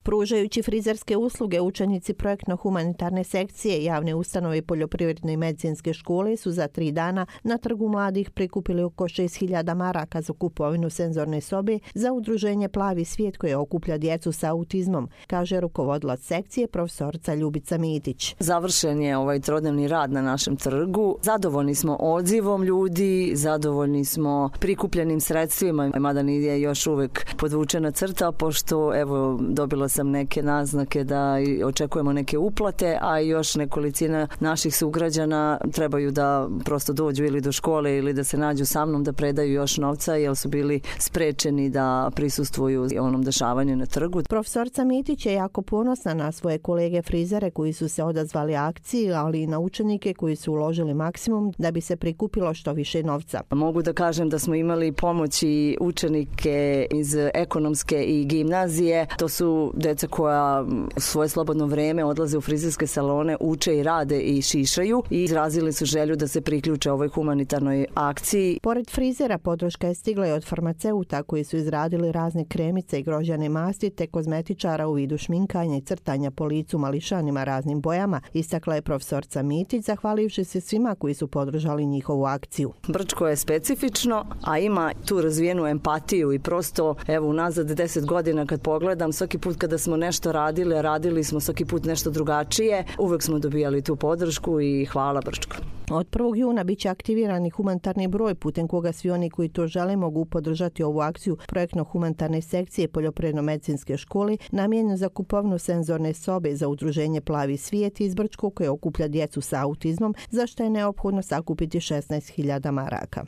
Pružajući frizerske usluge, učenici projektno-humanitarne sekcije javne ustanove poljoprivredne i medicinske škole su za 3 dana na Trgu mladih prikupili oko 6.000 maraka za kupovinu senzorne sobe za udruženje Plavi svijet koje okuplja djecu sa autizmom, kaže rukovodilac sekcije profesorica Ljubica Mitić. Završen je ovaj trodnevni rad na našem trgu. Zadovoljni smo odzivom ljudi, zadovoljni smo prikupljenim sredstvima, mada nije još uvek podvučena crta, pošto evo dobila sam neke naznake da očekujemo neke uplate, a još nekolicina naših sugrađana trebaju da prosto dođu ili do škole ili da se nađu sa mnom da predaju još novca, jer su bili sprečeni da prisustvuju onom dešavanju na trgu. Profesorica Mitić je jako ponosna na svoje kolege frizere koji su se odazvali akciji, ali i na učenike koji su uložili maksimum da bi se prikupilo što više novca. Mogu da kažem da smo imali pomoć i učenike iz ekonomske i gimnazije. To su deca koja svoje slobodno vreme odlaze u frizerske salone, uče i rade i šišaju i izrazili su želju da se priključe ovoj humanitarnoj akciji. Pored frizera podrška je stigla i od farmaceuta koji su izradili razne kremice i grožđane masti te kozmetičara u vidu šminkanja i crtanja po licu mališanima raznim bojama, istakla je profesorica Mitić, zahvalivši se svima koji su podržali njihovu akciju. Brčko je specifično, a ima tu razvijenu empatiju i prosto, evo, unazad 10 godina kad pogledam, svaki put kada smo nešto radili smo svaki put nešto drugačije, uvek smo dobijali tu podršku i hvala Brčko. Od 1. juna biće aktivirani humanitarni broj putem koga svi oni koji to žele mogu podržati ovu akciju projektno-humanitarne sekcije poljoprivredno-medicinske škole namijenjenu za kupovinu senzorne sobe za udruženje Plavi svijet iz Brčko koje okuplja djecu sa autizmom, za što je neophodno sakupiti 16.000 maraka.